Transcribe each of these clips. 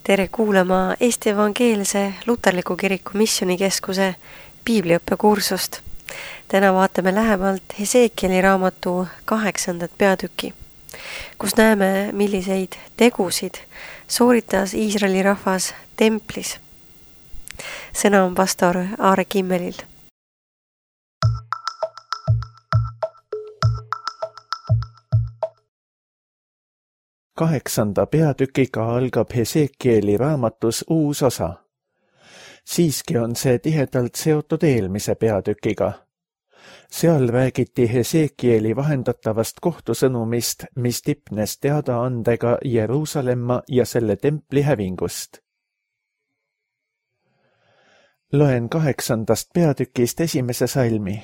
Tere kuulama Eesti Evangeelse Luterliku Kiriku Missioonikeskuse piibliõppekursust. Täna vaatame lähemalt Hesekieli raamatu 8. peatüki, kus näeme, milliseid tegusid sooritas Iisraeli rahvas templis. Sõna on pastor Aare Kimmelil. Kaheksanda peatükiga algab Hesekieli raamatus uus osa. Siiski on see tihedalt seotud eelmise peatükiga. Seal räägiti Hesekieli vahendatavast kohtusõnumist, mis tipnes teadaandega Jeruusalemma ja selle templi hävingust. Loen 8. peatükist esimese salmi.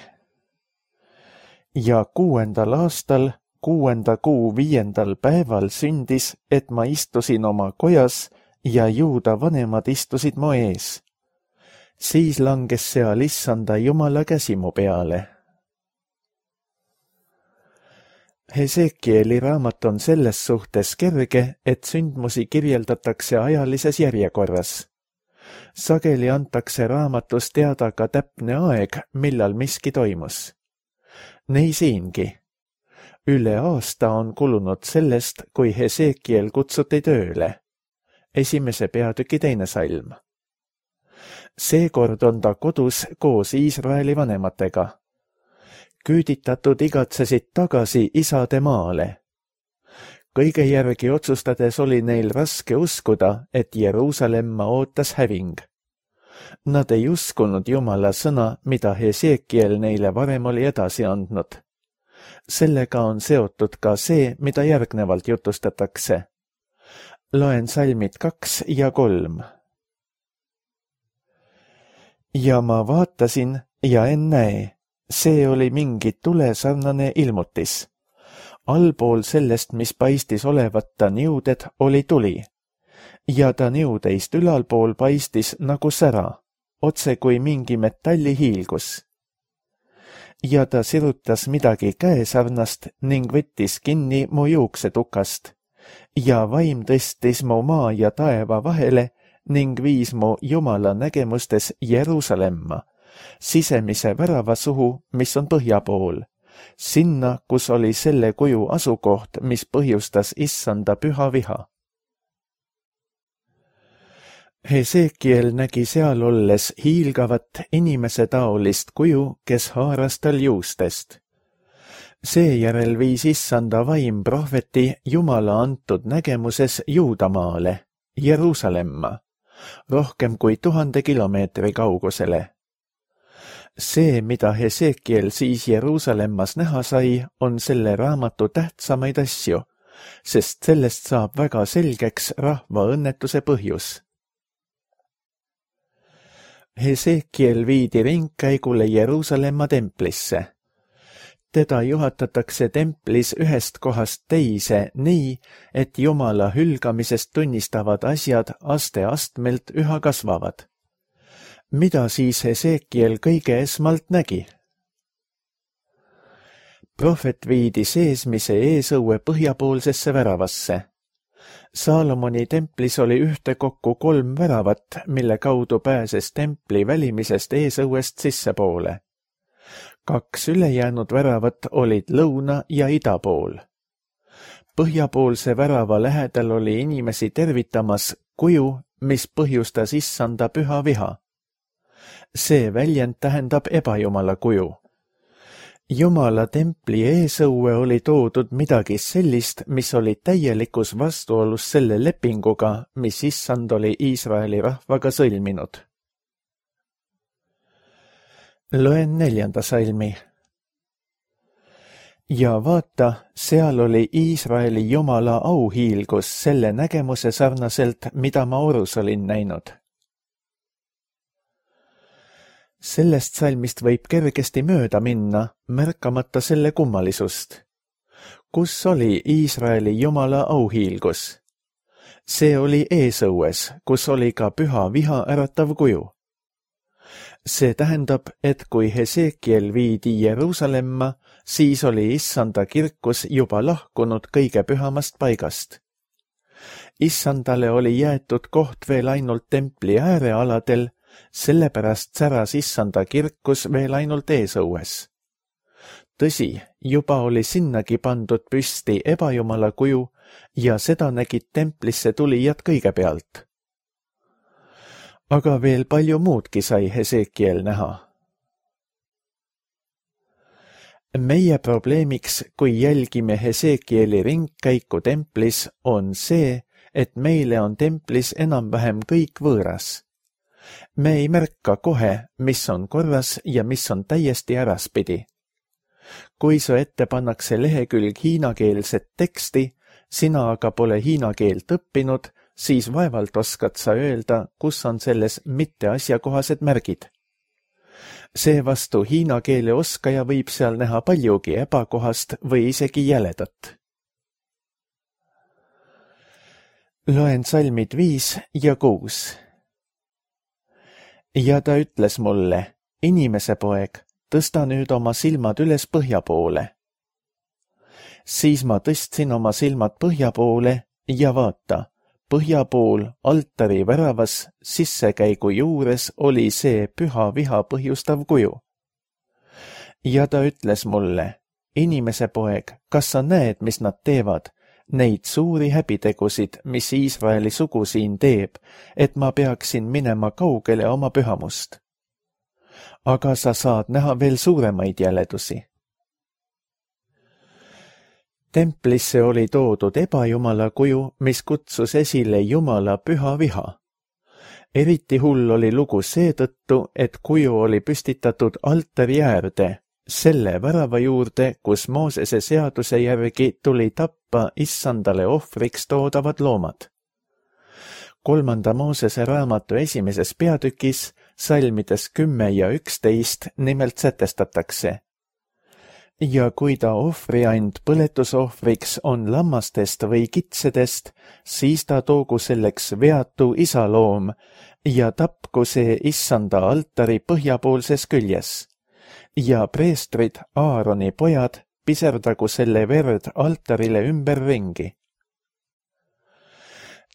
Ja 6. aastal 6. kuu 5. päeval sündis, et ma istusin oma kojas ja Juuda vanemad istusid mu ees. Siis langes seal Issanda Jumala käsi mu peale. Hesekieli raamat on selles suhtes kerge, et sündmusi kirjeldatakse ajalises järjekorras. Sageli antakse raamatus teada ka täpne aeg, millal miski toimus. Nii siingi. Üle aasta on kulunud sellest, kui Hesekiel kutsuti tööle. Esimese peatüki 2. salm. Seekord on ta kodus koos Iisraeli vanematega. Küüditatud igatsesid tagasi isade maale. Kõige järgi otsustades oli neil raske uskuda, et Jeruusalemma ootas häving. Nad ei uskunud Jumala sõna, mida Hesekiel neile varem oli edasi andnud. Sellega on seotud ka see, mida järgnevalt jutustatakse. Loen salmid 2 ja 3. Ja ma vaatasin ja ennäe, see oli mingi tulesarnane ilmutis. Allpool sellest, mis paistis olevat ta niuded, oli tuli. Ja ta niudeist ülalpool paistis nagu sära, otse kui mingi metallihiilgus. Ja ta sirutas midagi käesarnast ning võttis kinni mu juuksetukast. Ja vaim tõstis mu maa ja taeva vahele ning viis mu Jumala nägemustes Jeruusalemma, sisemise värava suhu, mis on põhja pool, sinna, kus oli selle kuju asukoht, mis põhjustas Issanda püha viha. Hesekiel nägi seal olles hiilgavat inimesetaolist kuju, kes haaras tal juustest. Seejärel viis Issanda vaim prohveti Jumala antud nägemuses Juudamaale, Jeruusalemma, rohkem kui 1000 kilomeetri kaugusele. See, mida Hesekiel siis Jeruusalemmas näha sai, on selle raamatu tähtsamaid asju, sest sellest saab väga selgeks rahva õnnetuse põhjus. Hesekiel viidi ringkäigule Jeruusalemma templisse. Teda juhatatakse templis ühest kohast teise nii, et Jumala hülgamisest tunnistavad asjad aste-astmelt üha kasvavad. Mida siis Hesekiel kõige esmalt nägi? Prohvet viidi seesmise eesõue põhjapoolsesse väravasse. Saalomoni templis oli ühtekokku 3 väravat, mille kaudu pääses templi välimisest eesõuest sissepoole. 2 ülejäänud väravat olid lõuna- ja idapool. Põhjapoolse värava lähedal oli inimesi tervitamas kuju, mis põhjustas Issanda püha viha. See väljend tähendab ebajumala kuju. Jumala templi eesõue oli toodud midagi sellist, mis oli täielikus vastuolus selle lepinguga, mis Issand oli Iisraeli rahvaga sõlminud. Loen 4. salmi. Ja vaata, seal oli Iisraeli Jumala auhiilgus selle nägemuse sarnaselt, mida ma orus olin näinud. Sellest salmist võib kergesti mööda minna, märkamata selle kummalisust. Kus oli Iisraeli Jumala auhiilgus? See oli eesõues, kus oli ka püha viha äratav kuju. See tähendab, et kui Hesekiel viidi Jeruusalemma, siis oli Issanda kirkus juba lahkunud kõige pühamast paigast. Issandale oli jäetud koht veel ainult templi äärealadel, sellepärast säras Issanda kirkus veel ainult eesõues. Tõsi, juba oli sinnagi pandud püsti ebajumala kuju ja seda nägid templisse tulijad kõigepealt. Aga veel palju muudki sai Hesekiel näha. Meie probleemiks, kui jälgime Hesekieli ringkäiku templis, on see, et meile on templis enam-vähem kõik võõras. Me ei märka kohe, mis on korras ja mis on täiesti äraspidi. Kui su ette pannakse lehekülg hiinakeelset teksti, sina aga pole hiina keelt õppinud, siis vaevalt oskad sa öelda, kus on selles mitte asjakohased märgid. Seevastu hiina keele oskaja võib seal näha paljugi ebakohast või isegi jäledat. Loen salmid 5 ja 6. Ja ta ütles mulle, inimese poeg, tõsta nüüd oma silmad üles põhja poole. Siis ma tõstsin oma silmad põhja poole ja vaata, põhja pool altari väravas sissekäigu juures oli see püha viha põhjustav kuju. Ja ta ütles mulle, inimese poeg, kas sa näed, mis nad teevad, neid suuri häbitegusid, mis Iisraeli sugu siin teeb, et ma peaksin minema kaugele oma pühamust. Aga sa saad näha veel suuremaid jäledusi. Templisse oli toodud ebajumala kuju, mis kutsus esile Jumala püha viha. Eriti hull oli lugu seetõttu, et kuju oli püstitatud altari äärde, selle värava juurde, kus Moosese seaduse järgi tuli tappa Issandale ohvriks toodavad loomad. 3. Moosese raamatu 1. peatükis, salmides 10 ja 11 nimelt sätestatakse. Ja kui ta ohvriand põletusohvriks on lammastest või kitsedest, siis ta toogu selleks veatu isaloom ja tapku see Issanda altari põhjapoolses küljes. Ja preestrid, Aaroni pojad, piserdagu selle verd altarile ümberringi.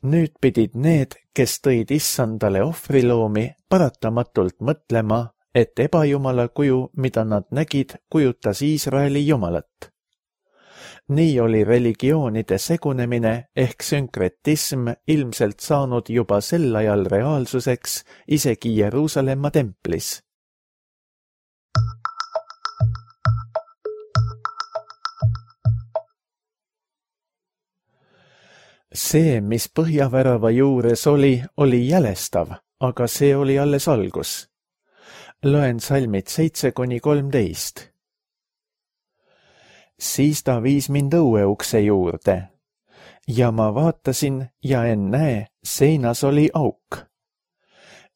Nüüd pidid need, kes tõid Issandale ohvriloomi, paratamatult mõtlema, et ebajumala kuju, mida nad nägid, kujutas Iisraeli jumalat. Nii oli religioonide segunemine ehk sünkretism ilmselt saanud juba sel ajal reaalsuseks isegi Jeruusalemma templis. See, mis põhjavärava juures oli jälestav, aga see oli alles algus. Loen salmid 7-13. Siis ta viis mind õueukse juurde ja ma vaatasin ja ennäe, seinas oli auk.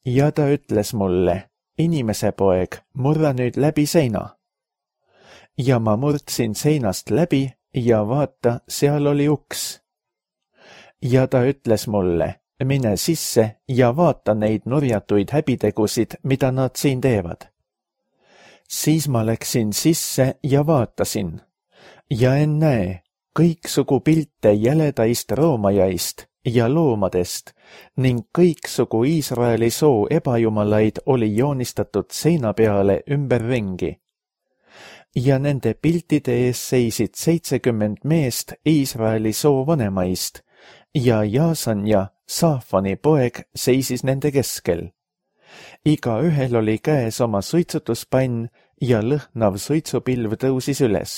Ja ta ütles mulle, inimese poeg, murra nüüd läbi seina. Ja ma murdsin seinast läbi ja vaata, seal oli uks. Ja ta ütles mulle, mine sisse ja vaata neid nurjatuid häbitegusid, mida nad siin teevad. Siis ma läksin sisse ja vaatasin. Ja ennäe, kõiksugu pilte jäledaist roomajaist ja loomadest ning kõiksugu Iisraeli soo ebajumalaid oli joonistatud seina peale ümberringi. Ja nende piltide ees seisid 70 meest Iisraeli soo vanemaist ja Jaasanja, Saafani poeg, seisis nende keskel. Igaühel oli käes oma suitsutuspann ja lõhnav suitsupilv tõusis üles.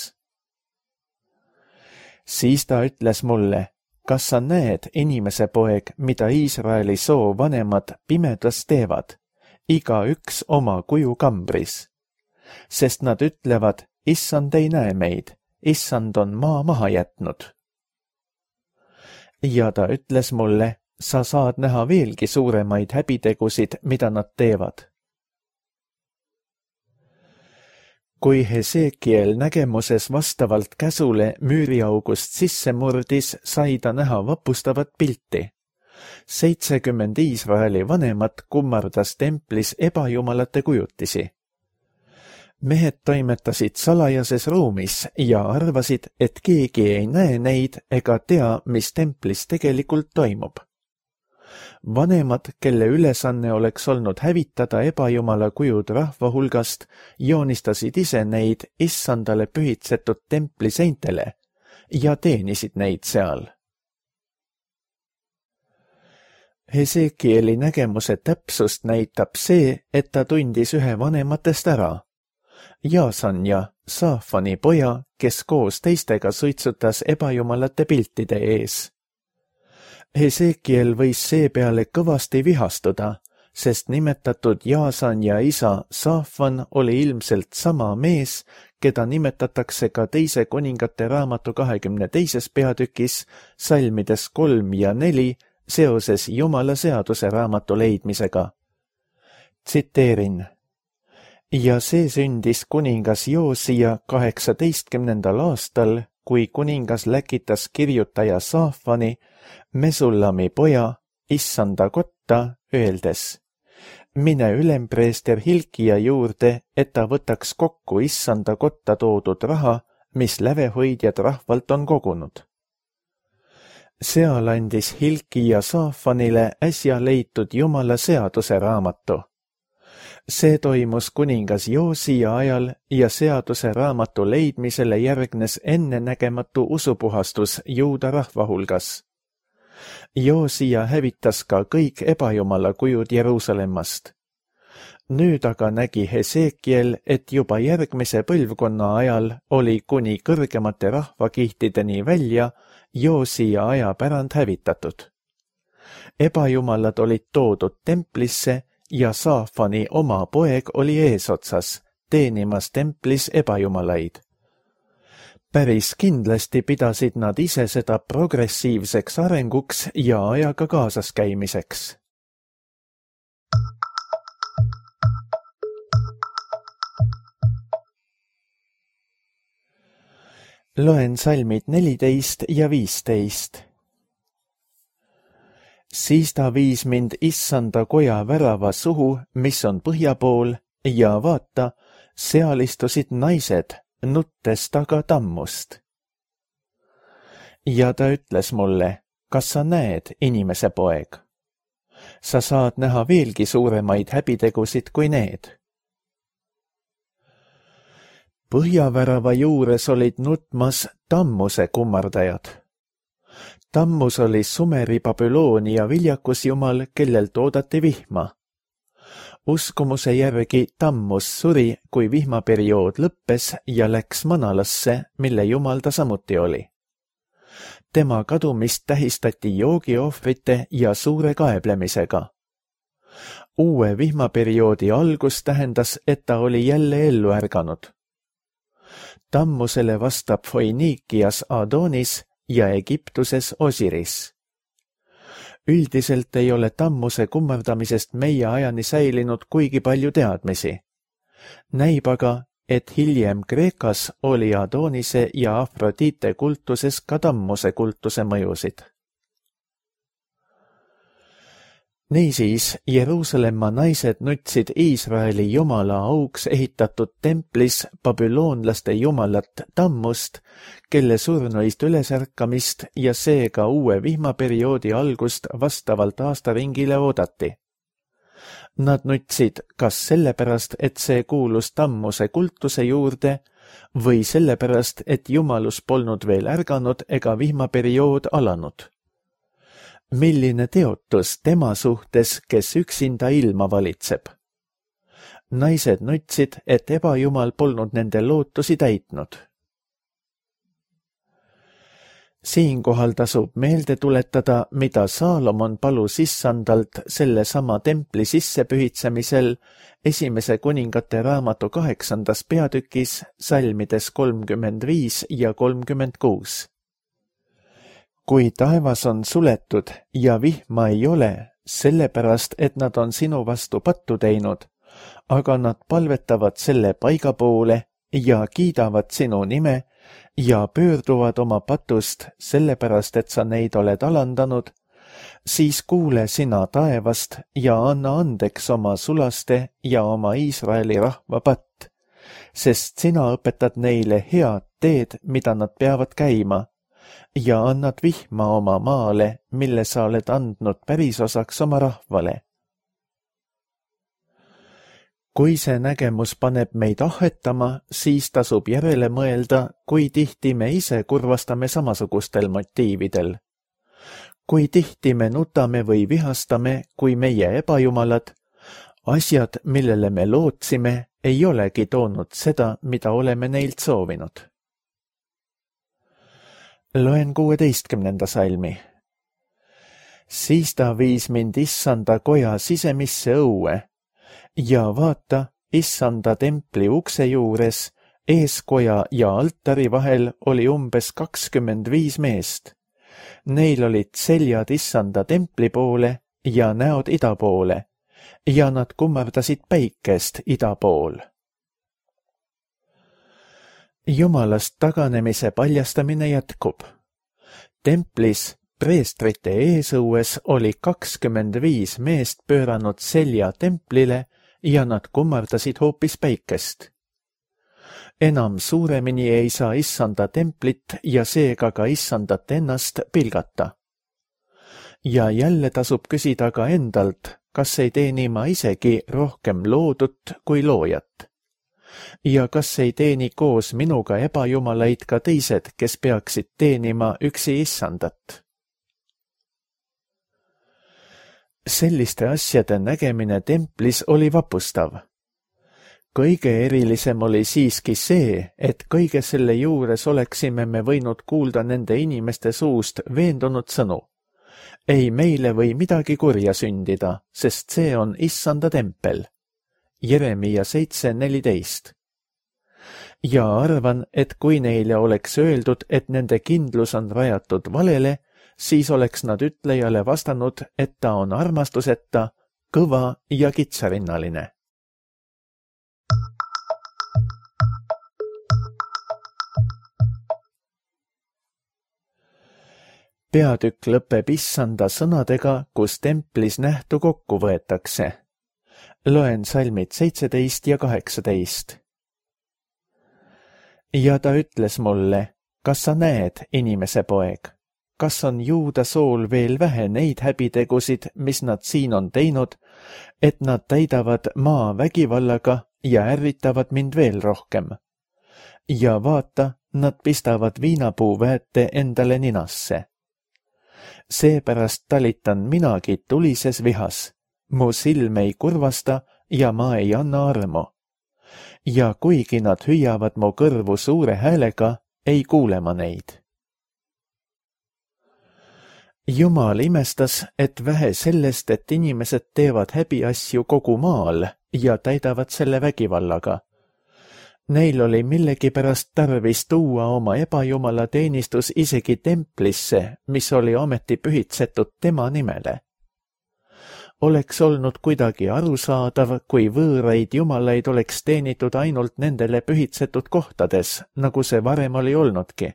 Siis ta ütles mulle, kas sa näed, inimese poeg, mida Iisraeli soo vanemad pimedas teevad, igaüks oma kuju kambris. Sest nad ütlevad, issand ei näe meid, issand on maa maha jätnud. Ja ta ütles mulle, sa saad näha veelgi suuremaid häbitegusid, mida nad teevad. Kui Hesekiel nägemuses vastavalt käsule müüriaugust sisse murdis, sai ta näha vapustavat pilti. 70 Iisraeli vanemat kummardas templis ebajumalate kujutisi. Mehed toimetasid salajases ruumis ja arvasid, et keegi ei näe neid ega tea, mis templis tegelikult toimub. Vanemad, kelle ülesanne oleks olnud hävitada ebajumala kujud rahva hulgast, joonistasid ise neid issandale pühitsetud templi seintele ja teenisid neid seal. Hesekieli nägemuse täpsust näitab see, et ta tundis ühe vanematest ära. Jaasanja, Saafani poja, kes koos teistega suitsutas ebajumalate piltide ees. Hesekiel võis seepeale kõvasti vihastuda, sest nimetatud Jaasanja isa Saafan oli ilmselt sama mees, keda nimetatakse ka teise kuningate raamatu 22. peatükis salmides 3 ja 4 seoses Jumala seaduse raamatu leidmisega. Tsiteerin. Ja see sündis kuningas Joosia 18. aastal, kui kuningas läkitas kirjutaja Saafani, Mesullami poja, issanda kotta, öeldes: mine ülempreester Hilkia juurde, et ta võtaks kokku issanda kotta toodud raha, mis lävehoidjad rahvalt on kogunud. Seal andis Hilkia Saafanile äsja leitud Jumala seaduse raamatu. See toimus kuningas Joosia ajal ja seaduse raamatu leidmisele järgnes ennenägematu usupuhastus juuda rahva hulgas. Joosia hävitas ka kõik ebajumala kujud Jeruusalemmast. Nüüd aga nägi Hesekiel, et juba järgmise põlvkonna ajal oli kuni kõrgemate rahvakihtideni välja Joosia aja pärand hävitatud. Ebajumalad olid toodud templisse ja Saafani oma poeg oli eesotsas, teenimas templis ebajumalaid. Päris kindlasti pidasid nad ise seda progressiivseks arenguks ja ajaga kaasas käimiseks. Loen salmid 14 ja 15. Siis ta viis mind issanda koja värava suhu, mis on põhja pool, ja vaata, seal istusid naised, nuttes taga tammust. Ja ta ütles mulle, kas sa näed, inimese poeg? Sa saad näha veelgi suuremaid häbitegusid kui need. Põhjavärava juures olid nutmas tammuse kummardajad. Tammus oli Sumeri Babyloonia viljakusjumal, kellelt oodati vihma. Uskumuse järgi Tammus suri, kui vihmaperiood lõppes ja läks manalasse, mille jumal ta samuti oli. Tema kadumist tähistati joogiohvrite ja suure kaeblemisega. Uue vihmaperioodi algus tähendas, et ta oli jälle ellu ärganud. Tammusele vastab Foinikias Adonis ja Egiptuses Osiris. Üldiselt ei ole tammuse kummardamisest meie ajani säilinud kuigi palju teadmisi. Näib aga, et hiljem Kreekas oli Adonise ja Afrodite kultuses ka tammuse kultuse mõjusid. Niisiis, Jeruusalemma naised nutsid Iisraeli jumala auks ehitatud templis babüloonlaste jumalat Tammust, kelle surnuist ülesärkamist ja seega uue vihmaperioodi algust vastavalt aastaringile oodati. Nad nutsid kas sellepärast, et see kuulus Tammuse kultuse juurde, või sellepärast, et jumalus polnud veel ärganud ega vihmaperiood alanud. Milline teotus tema suhtes, kes üksinda ilma valitseb? Naised nutsid, et ebajumal polnud nende lootusi täitnud. Siinkohal tasub meelde tuletada, mida Saalomon palus issandalt sellesama templi sissepühitsemisel esimese kuningate raamatu 8. peatükis salmides 35 ja 36. Kui taevas on suletud ja vihma ei ole, sellepärast, et nad on sinu vastu pattu teinud, aga nad palvetavad selle paiga poole ja kiidavad sinu nime ja pöörduvad oma patust sellepärast, et sa neid oled alandanud, siis kuule sina taevast ja anna andeks oma sulaste ja oma Iisraeli rahva patt sest sina õpetad neile head teed, mida nad peavad käima, ja annad vihma oma maale, mille sa oled andnud pärisosaks oma rahvale. Kui see nägemus paneb meid ahhetama, siis tasub järele mõelda, kui tihti me ise kurvastame samasugustel motiividel. Kui tihti me nutame või vihastame, kui meie ebajumalad, asjad, millele me lootsime, ei olegi toonud seda, mida oleme neilt soovinud. Loen 16. salmi. Siis ta viis mind issanda koja sisemisse õue ja vaata, issanda templi ukse juures, eeskoja ja altari vahel oli umbes 25 meest. Neil olid seljad issanda templi poole ja näod ida poole ja nad kummardasid päikest ida pool. Jumalast taganemise paljastamine jätkub. Templis preestrite eesõues oli 25 meest pööranud selja templile ja nad kummardasid hoopis päikest. Enam suuremini ei saa issanda templit ja seega ka issandat ennast pilgata. Ja jälle tasub küsida ka endalt, kas ei teeni ma isegi rohkem loodut kui loojat. Ja kas ei teeni koos minuga ebajumalaid ka teised, kes peaksid teenima üksi issandat? Selliste asjade nägemine templis oli vapustav. Kõige erilisem oli siiski see, et kõige selle juures oleksime me võinud kuulda nende inimeste suust veendunud sõnu. Ei meile või midagi kurja sündida, sest see on issanda tempel. Jeremia 7:14. Ja arvan, et kui neile oleks öeldud, et nende kindlus on rajatud valele, siis oleks nad ütlejale vastanud, et ta on armastuseta, kõva ja kitsarinnaline. Peatükk lõpeb issanda sõnadega, kus templis nähtu kokku võetakse. Loen salmid 17 ja 18. Ja ta ütles mulle, kas sa näed, inimese poeg? Kas on juuda sool veel vähe neid häbitegusid, mis nad siin on teinud, et nad täidavad maa vägivallaga ja ärritavad mind veel rohkem? Ja vaata, nad pistavad viinapuuväete endale ninasse. Seepärast talitan minagi tulises vihas. Mu silm ei kurvasta ja ma ei anna armu. Ja kuigi nad hüüavad mu kõrvu suure häälega, ei kuule ma neid. Jumal imestas, et vähe sellest, et inimesed teevad häbiasju kogu maal ja täidavad selle vägivallaga. Neil oli millegipärast tarvis tuua oma ebajumala teenistus isegi templisse, mis oli ometi pühitsetud tema nimele. Oleks olnud kuidagi arusaadav, kui võõraid jumalaid oleks teenitud ainult nendele pühitsetud kohtades, nagu see varem oli olnudki.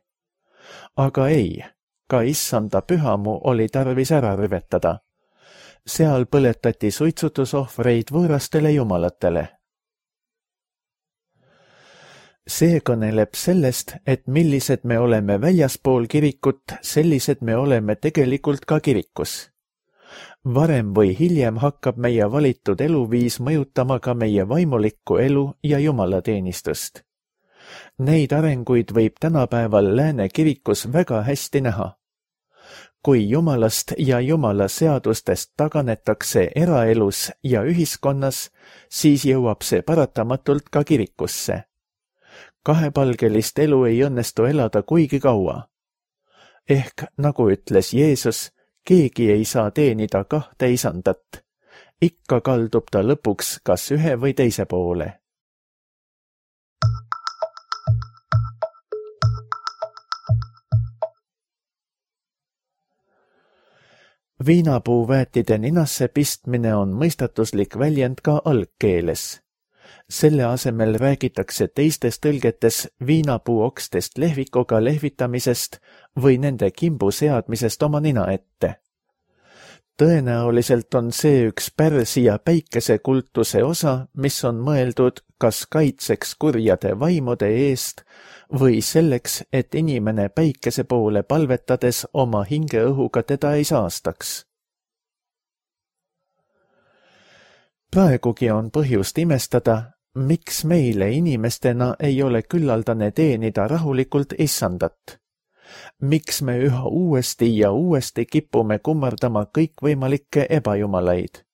Aga ei, ka issanda pühamu oli tarvis ära rüvetada. Seal põletati suitsutusohvreid võõrastele jumalatele. See kõneleb sellest, et millised me oleme väljaspool kirikut, sellised me oleme tegelikult ka kirikus. Varem või hiljem hakkab meie valitud eluviis mõjutama ka meie vaimulikku elu ja jumalateenistust. Neid arenguid võib tänapäeval Lääne kirikus väga hästi näha. Kui jumalast ja jumala seadustest taganetakse eraelus ja ühiskonnas, siis jõuab see paratamatult ka kirikusse. Kahepalgelist elu ei õnnestu elada kuigi kaua. Ehk, nagu ütles Jeesus, keegi ei saa teenida kahte isandat. Ikka kaldub ta lõpuks kas ühe või teise poole. Viinapuuväetide ninasse pistmine on mõistatuslik väljend ka algkeeles. Selle asemel räägitakse teistes tõlgetes viinapuuokstest lehvikuga lehvitamisest või nende kimbu seadmisest oma nina ette. Tõenäoliselt on see üks Pärsia päikesekultuse osa, mis on mõeldud kas kaitseks kurjade vaimude eest või selleks, et inimene päikese poole palvetades oma hingeõhuga teda ei saastaks. Praegugi on põhjust imestada, miks meile inimestena ei ole küllaldane teenida rahulikult issandat. Miks me üha uuesti ja uuesti kipume kummardama kõikvõimalikke ebajumalaid?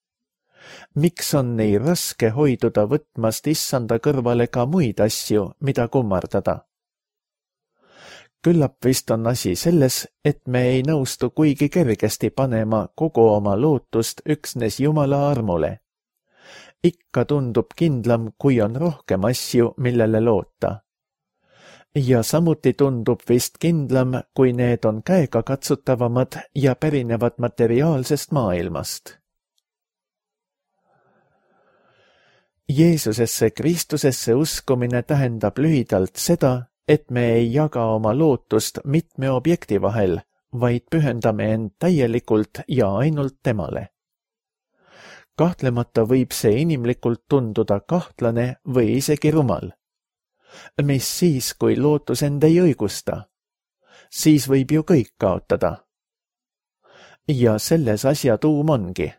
Miks on nii raske hoiduda võtmast issanda kõrvale ka muid asju, mida kummardada? Küllap vist on asi selles, et me ei nõustu kuigi kergesti panema kogu oma lootust üksnes Jumala armule. Ikka tundub kindlam, kui on rohkem asju, millele loota. Ja samuti tundub vist kindlam, kui need on käegakatsutavamad ja pärinevad materiaalsest maailmast. Jeesusesse Kristusesse uskumine tähendab lühidalt seda, et me ei jaga oma lootust mitme objekti vahel, vaid pühendame end täielikult ja ainult temale. Kahtlemata võib see inimlikult tunduda kahtlane või isegi rumal. Mis siis, kui lootus end ei õigusta? Siis võib ju kõik kaotada. Ja selles asja tuum ongi.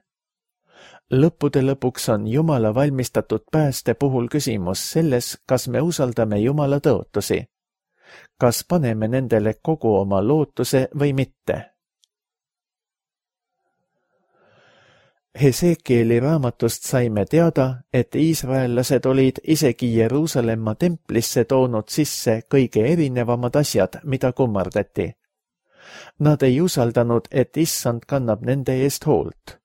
Lõppude lõpuks on Jumala valmistatud pääste puhul küsimus selles, kas me usaldame Jumala tõotusi. Kas paneme nendele kogu oma lootuse või mitte? Hesekieli raamatust saime teada, et iisraellased olid isegi Jeruusalemma templisse toonud sisse kõige erinevamad asjad, mida kummardati. Nad ei usaldanud, et issand kannab nende eest hoolt.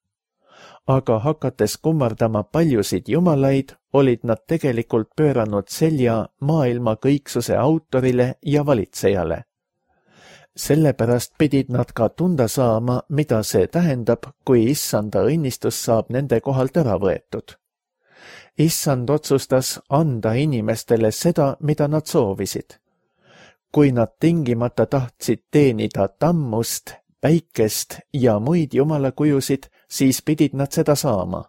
Aga hakates kummardama paljusid jumalaid, olid nad tegelikult pööranud selja maailma kõiksuse autorile ja valitsejale. Sellepärast pidid nad ka tunda saama, mida see tähendab, kui issanda õnnistus saab nende kohalt ära võetud. Issand otsustas anda inimestele seda, mida nad soovisid. Kui nad tingimata tahtsid teenida tammust, päikest ja muid jumalakujusid, siis pidid nad seda saama.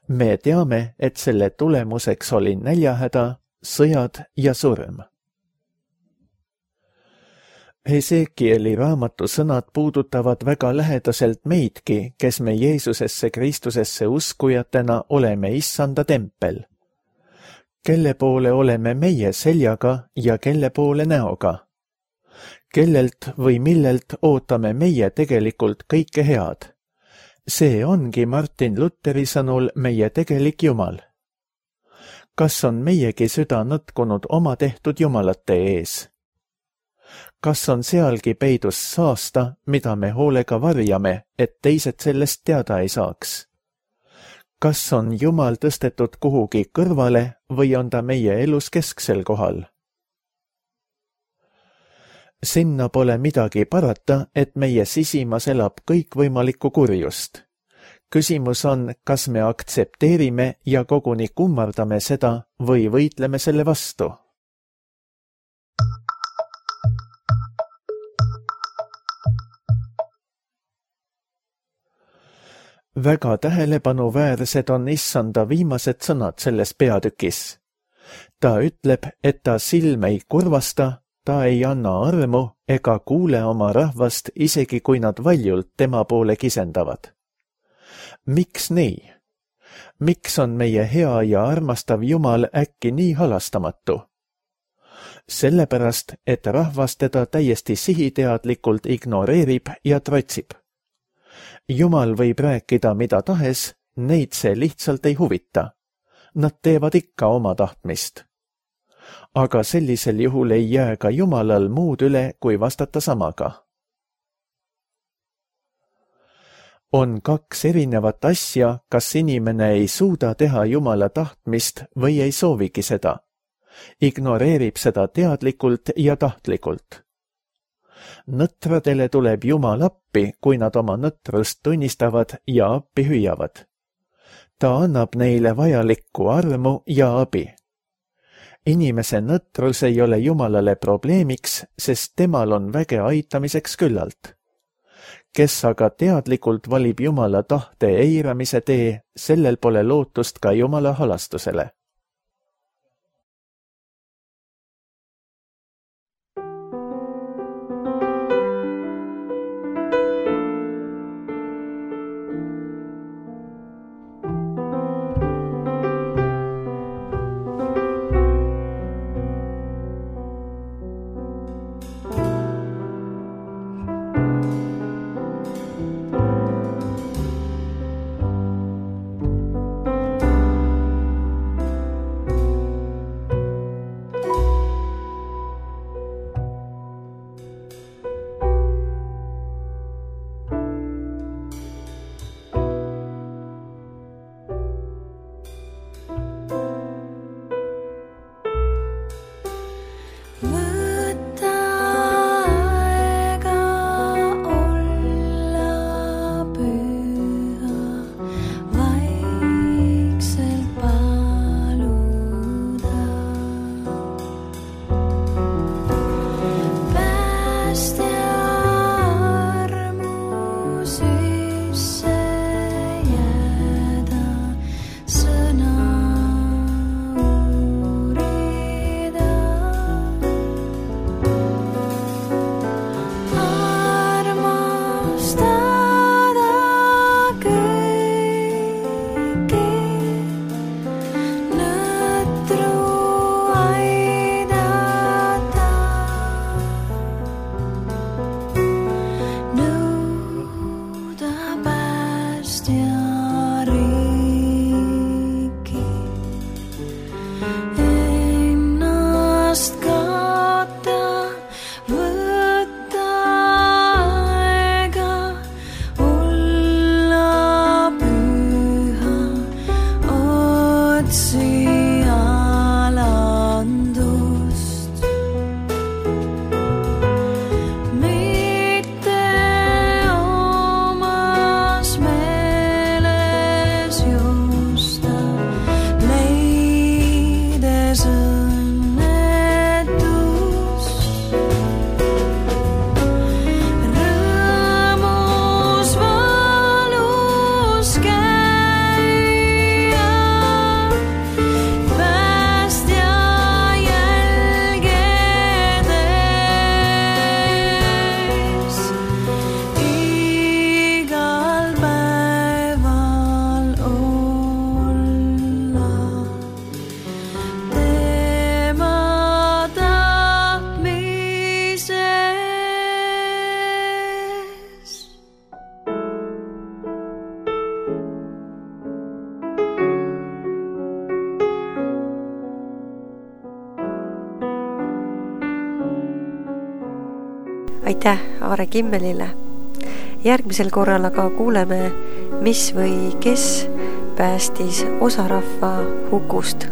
Me teame, et selle tulemuseks oli näljahäda, sõjad ja surm. Hesekieli raamatu sõnad puudutavad väga lähedaselt meidki, kes me Jeesusesse Kristusesse uskujatena oleme issanda tempel. Kelle poole oleme meie seljaga ja kelle poole näoga? Kellelt või millelt ootame meie tegelikult kõike head? See ongi Martin Lutheri sõnul meie tegelik Jumal. Kas on meiegi süda nõtkunud oma tehtud jumalate ees? Kas on sealgi peidus saasta, mida me hoolega varjame, et teised sellest teada ei saaks? Kas on Jumal tõstetud kuhugi kõrvale või on ta meie elus kesksel kohal? Sinna pole midagi parata, et meie sisimas elab kõikvõimalikku kurjust. Küsimus on, kas me aktsepteerime ja koguni kummardame seda või võitleme selle vastu. Väga tähelepanuväärsed on issanda viimased sõnad selles peatükis. Ta ütleb, et ta silm ei kurvasta, ta ei anna armu ega kuule oma rahvast, isegi kui nad valjult tema poole kisendavad. Miks nii? Miks on meie hea ja armastav Jumal äkki nii halastamatu? Sellepärast, et rahvas teda täiesti sihiteadlikult ignoreerib ja trotsib. Jumal võib rääkida mida tahes, neid see lihtsalt ei huvita. Nad teevad ikka oma tahtmist. Aga sellisel juhul ei jää ka Jumalal muud üle, kui vastata samaga. On kaks erinevat asja, kas inimene ei suuda teha Jumala tahtmist või ei soovigi seda. Ignoreerib seda teadlikult ja tahtlikult. Nõtradele tuleb Jumal appi, kui nad oma nõtrust tunnistavad ja appi hüüavad. Ta annab neile vajalikku armu ja abi. Inimese nõtrus ei ole Jumalale probleemiks, sest temal on väge aitamiseks küllalt. kes aga teadlikult valib Jumala tahte eiramise tee, sellel pole lootust ka Jumala halastusele. Aitäh Aare Kimmelile. Järgmisel korral aga kuuleme, mis või kes päästis osarahva hukust.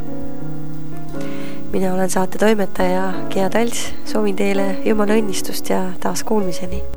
Mina olen saate toimetaja Gea Tals, soovin teile Jumala õnnistust ja taas kuulmiseni.